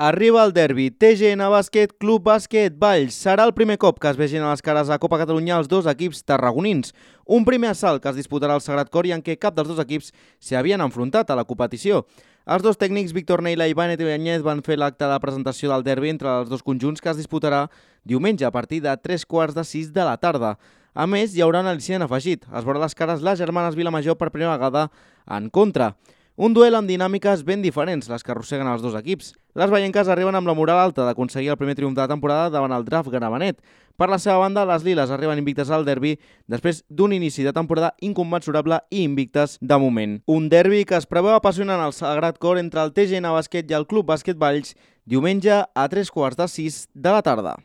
Arriba el derbi, TGN Bàsquet, Club Bàsquet Valls. Serà el primer cop que es vegin a les cares a Copa Catalunya els dos equips tarragonins. Un primer assalt que es disputarà al Sagrat Cor i en què cap dels dos equips s'hi havien enfrontat a la competició. Els dos tècnics, Víctor Neila i Vane Ibáñez, van fer l'acte de presentació del derbi entre els dos conjunts que es disputarà diumenge a partir de 3:45 de la tarda. A més, hi haurà un al·licient afegit. Es veurà les cares les germanes Vilamajor per primera vegada en contra. Un duel amb dinàmiques ben diferents, les que arrosseguen els dos equips. Les vallenques arriben amb la moral alta d'aconseguir el primer triomf de la temporada davant el Draft Gramenet. Per la seva banda, les liles arriben invictes al derbi després d'un inici de temporada inconmensurable i invictes de moment. Un derbi que es preveu apassionant al Sagrat Cor entre el TGN Bàsquet i el Club Bàsquet Valls diumenge a 3:45 de la tarda.